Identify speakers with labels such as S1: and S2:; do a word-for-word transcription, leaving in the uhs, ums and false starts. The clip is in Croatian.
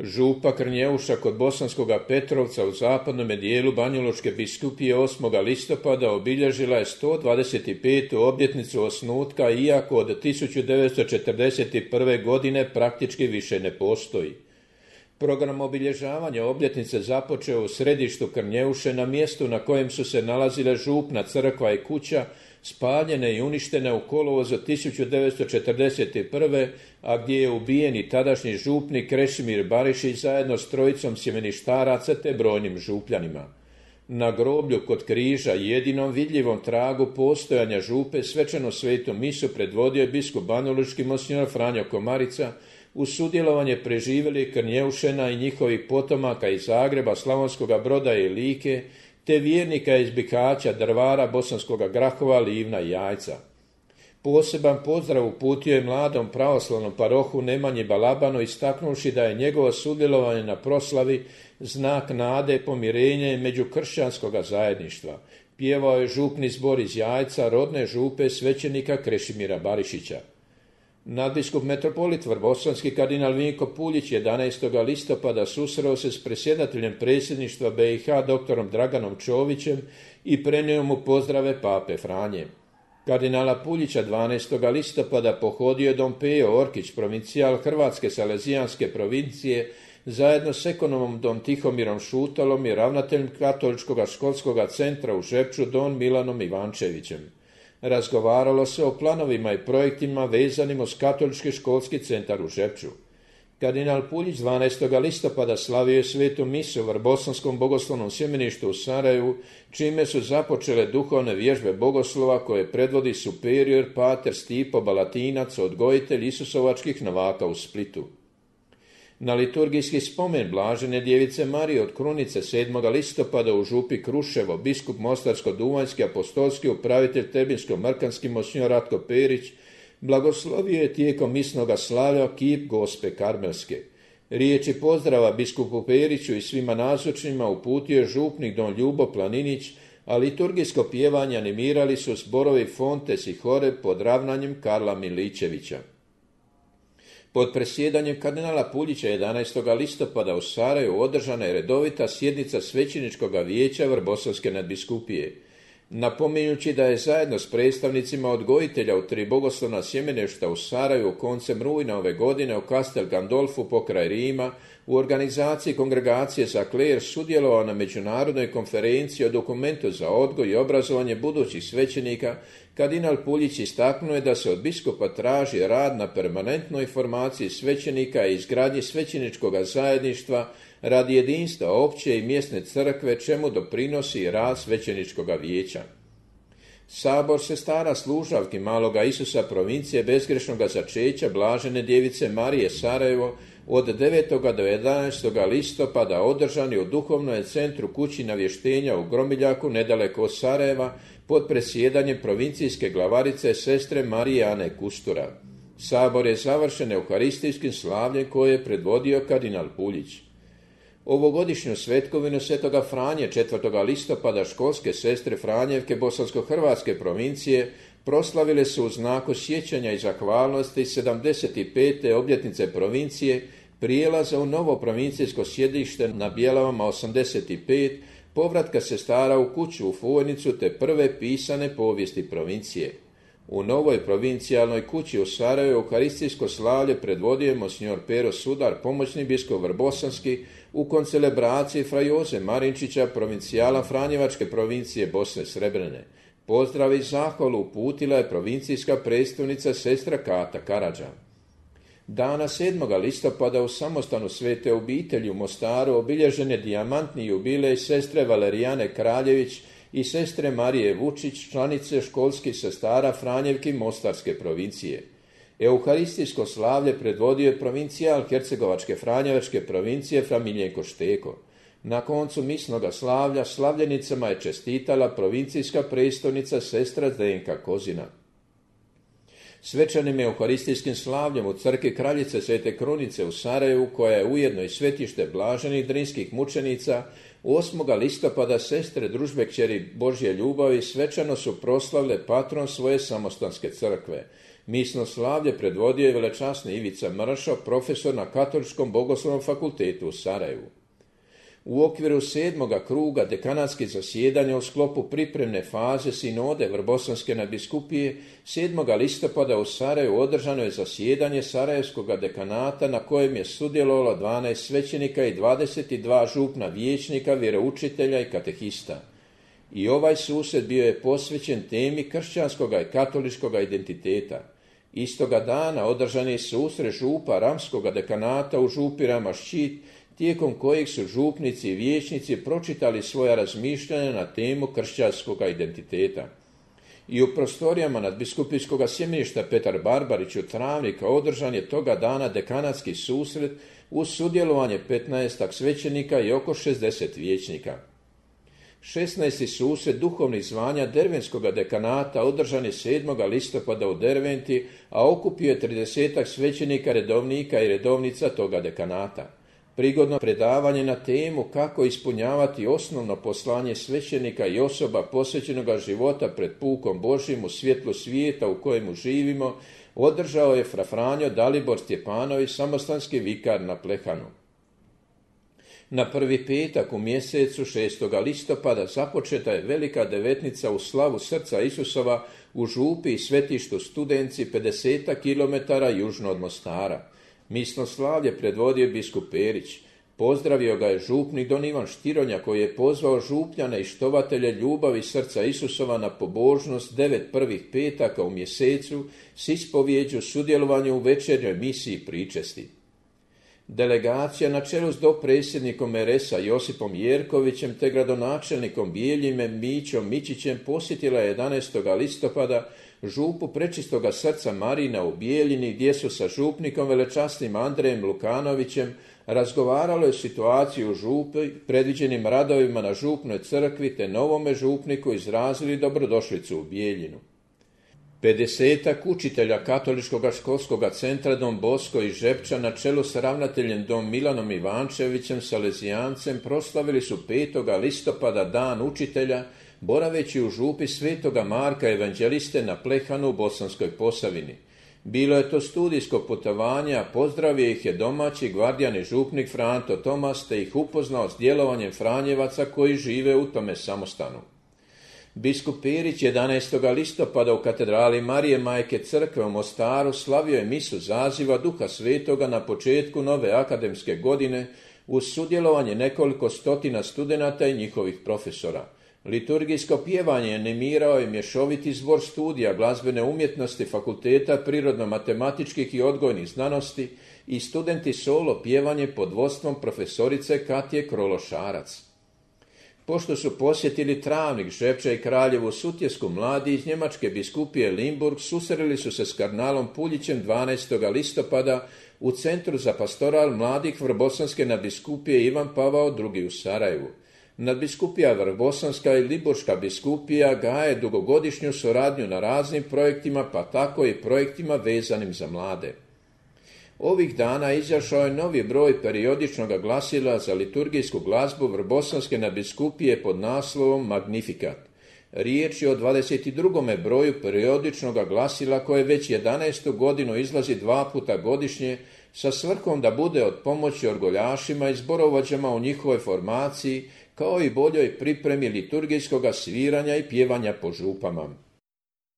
S1: Župa Krnjeuša kod Bosanskoga Petrovca u zapadnom dijelu Banjalučke biskupije osmoga listopada obilježila je sto dvadeset petu obljetnicu osnutka, iako od tisuću devetsto četrdeset prve. godine praktički više ne postoji. Program obilježavanja obljetnice započeo u središtu Krnjeuše, na mjestu na kojem su se nalazile župna crkva i kuća, spaljene i uništene u kolovozu tisuću devetsto četrdeset prve. a gdje je ubijen i tadašnji župnik Krešimir Barišić zajedno s trojicom sjemeništaraca te brojnim župljanima. Na groblju kod križa, jedinom vidljivom tragu postojanja župe, svečanu svetu misu predvodio je biskup banjalučki monsignor Franjo Komarica, uz sudjelovanje preživjelih Krnjeušena i njihovih potomaka iz Zagreba, Slavonskoga Broda i Like, te vjernika iz Bihaća, Drvara, Bosanskoga Grahova, Livna i Jajca. Poseban pozdrav uputio je mladom pravoslavnom parohu Nemanji Balabanu, istaknuvši da je njegovo sudjelovanje na proslavi znak nade, pomirenja i međukršćanskoga zajedništva. Pjevao je župni zbor iz Jajca, rodne župe svećenika Krešimira Barišića. Nadbiskup metropolit Vrbosanski kardinal Vinko Puljić jedanaestoga listopada susreo se s predsjedateljem predsjedništva B i H doktorom Draganom Čovićem i prenio mu pozdrave pape Franje. Kardinala Puljića dvanaestoga listopada pohodio je don Pejo Orkić, provincijal Hrvatske Salezijanske provincije, zajedno s ekonomom don Tihomirom Šutalom i ravnateljem Katoličkog školskog centra u Žepču don Milanom Ivančevićem. Razgovaralo se o planovima i projektima vezanim uz Katolički školski centar u Žepču. Kardinal Puljić dvanaestoga listopada slavio je svetu misu u Vrbosanskom bogoslovnom sjemeništu u Sarajevu, čime su započele duhovne vježbe bogoslova koje predvodi superior pater Stipo Balatinac, odgojitelj Isusovačkih novaka u Splitu. Na liturgijski spomen Blažene djevice Marije od Krunice sedmoga listopada u župi Kruševo biskup Mostarsko-duvanjski apostolski upravitelj Tebinsko-Mrkanski monsignor Ratko Perić blagoslovio je tijekom misnoga slavlja kip Gospe Karmelske. Riječi pozdrava biskupu Periću i svima nazočnima uputio je župnik don Ljubo Planinić, a liturgijsko pjevanje animirali su zborovi Fontes i Hore pod ravnanjem Karla Miličevića. Pod presjedanjem kardinala Puljića jedanaestoga listopada u Sarajevu održana je redovita sjednica svećeničkoga vijeća Vrbosanske nadbiskupije. Napominjući da je zajedno s predstavnicima odgojitelja u tri bogoslovna sjemeništa u Sarajevu koncem rujna ove godine u Castel Gandolfu pokraj Rima u organizaciji Kongregacije za kler sudjelovao na međunarodnoj konferenciji o dokumentu za odgoj i obrazovanje budućih svećenika, kardinal Puljić istaknuo je da se od biskupa traži rad na permanentnoj formaciji svećenika i izgradnji svećeničkog zajedništva radi jedinstva opće i mjesne crkve, čemu doprinosi rad svećeničkog vijeća. Sabor sestara služavki Maloga Isusa provincije bezgrešnoga začeća Blažene djevice Marije Sarajevo od devetoga do jedanaestoga listopada održani u duhovnom centru kući navještenja u Gromiljaku nedaleko od Sarajeva pod presjedanjem provincijske glavarice sestre Marije Ane Kustura. Sabor je završen euharistijskim slavljem koje je predvodio kardinal Puljić. Ovogodišnju svetkovinu Svetoga Franje četvrtoga listopada školske sestre Franjevke Bosansko-Hrvatske provincije proslavile su u znaku sjećanja i zahvalnosti sedamdeset pete obljetnice provincije, prijelaza u novo provincijsko sjedište na Bjelavama osamdeset pet, povratka sestara u kuću u Fujnicu te prve pisane povijesti provincije. U novoj provincijalnoj kući u Sarajevu euharistijsko slavlje predvodio je monsignor Pero Sudar, pomoćni biskup Vrbosanski, u koncelebraciji fra Joze Marinčića, provincijala Franjevačke provincije Bosne Srebrene. Pozdrav i zahvalu uputila je provincijska predstavnica sestra Kata Karadža. Dana sedmoga listopada u samostanu Svete obitelji u Mostaru obilježen je dijamantni jubilej sestre Valerijane Kraljević i sestre Marije Vučić, članice školskih sestara Franjevki Mostarske provincije. Euharistijsko slavlje predvodio je provincijal Hercegovačke Franjevačke provincije fra Miljenko Šteko. Na koncu misnoga slavlja slavljenicama je čestitala provincijska predstavnica sestra Zdenka Kozina. Svečanim euharistijskim slavljem u crkvi Kraljice Svete Krunice u Sarajevu, koja je ujedno i svetište blaženih drinskih mučenica, osmoga listopada sestre družbe kćeri Božje ljubavi svečano su proslavile patron svoje samostanske crkve. Misno slavlje predvodio je velečasni Ivica Mršo, profesor na Katoličkom bogoslovnom fakultetu u Sarajevu. U okviru sedmoga kruga dekanatskih zasjedanja u sklopu pripremne faze sinode Vrbosanske nadbiskupije sedmoga listopada u Sarajevu održano je zasjedanje Sarajevskog dekanata na kojem je sudjelovalo dvanaest svećenika i dvadeset dva župna vijećnika, vjeroučitelja i katehista. I ovaj susret bio je posvećen temi kršćanskog i katoličkog identiteta. Istoga dana održan je susret župa Ramskog dekanata u župi Rama-Ščit, tijekom kojeg su župnici i vijećnici pročitali svoja razmišljanja na temu kršćanskog identiteta. I u prostorijama nadbiskupijskog sjemeništa Petar Barbarić u Travnika održan je toga dana dekanatski susret uz sudjelovanje petnaestak svećenika i oko šezdeset vijećnika. šesnaesti susret duhovnih zvanja Dervenskog dekanata održan je sedmoga listopada u Derventi, a okupio je tridesetak svećenika, redovnika i redovnica toga dekanata. Prigodno predavanje na temu kako ispunjavati osnovno poslanje svećenika i osoba posvećenoga života pred pukom Božjim u svjetlu svijeta u kojemu živimo održao je fra Franjo Dalibor Stjepanović, samostanski vikar na Plehanu. Na prvi petak u mjesecu šestoga listopada započeta je velika devetnica u slavu srca Isusova u župi i svetištu Studenci pedeset kilometara južno od Mostara. Misno slavlje predvodio biskup Perić. Pozdravio ga je župnik don Ivan Štironja koji je pozvao župljane i štovatelje ljubavi srca Isusova na pobožnost devet prvih petaka u mjesecu s ispovjeđu sudjelovanju u večernjoj misiji pričesti. Delegacija na čelu s dopredsjednikom er es a Josipom Jerkovićem te gradonačelnikom Bijeljime Mićom Mičićem posjetila je jedanaestoga listopada župu Prečistoga srca Marina u Bijeljini gdje su sa župnikom velečasnim Andrejem Lukanovićem razgovaralo je situaciju u župi, predviđenim radovima na župnoj crkvi te novome župniku izrazili dobrodošlicu u Bijeljinu. pedesetak učitelja Katoličkog školskog centra Don Bosko i Žepča na čelu s ravnateljem Don Milanom Ivančevićem Salezijancem proslavili su petoga listopada dan učitelja boraveći u župi Svetoga Marka Evanđeliste na Plehanu u Bosanskoj Posavini. Bilo je to studijsko putovanje, a pozdravio ih je domaći gvardijani župnik Franto Tomas te ih upoznao s djelovanjem Franjevaca koji žive u tome samostanu. Biskup Perić jedanaestoga listopada u katedrali Marije Majke Crkve u Mostaru slavio je misu zaziva Duha Svetoga na početku nove akademske godine uz sudjelovanje nekoliko stotina studenata i njihovih profesora. Liturgijsko pjevanje animirao je mješoviti zbor studija glazbene umjetnosti Fakulteta prirodno-matematičkih i odgojnih znanosti i studenti solo pjevanje pod vodstvom profesorice Katje Krološarac. Pošto su posjetili Travnik, Žepča i Kraljevu Sutjesku, mladi iz njemačke biskupije Limburg susreli su se s kardinalom Puljićem dvanaestoga listopada u Centru za pastoral mladih Vrbosanske nadbiskupije Ivan Pavao drugi u Sarajevu. Nadbiskupija Vrbosanska i Liburška biskupija gaje dugogodišnju suradnju na raznim projektima, pa tako i projektima vezanim za mlade. Ovih dana izašao je novi broj periodičnog glasila za liturgijsku glazbu Vrbosanske nadbiskupije pod naslovom Magnificat. Riječ je o dvadeset drugom broju periodičnog glasila koje već jedanaestu godinu izlazi dva puta godišnje sa svrhom da bude od pomoći orgoljašima i zborovođama u njihovoj formaciji kao i boljoj pripremi liturgijskog sviranja i pjevanja po župama.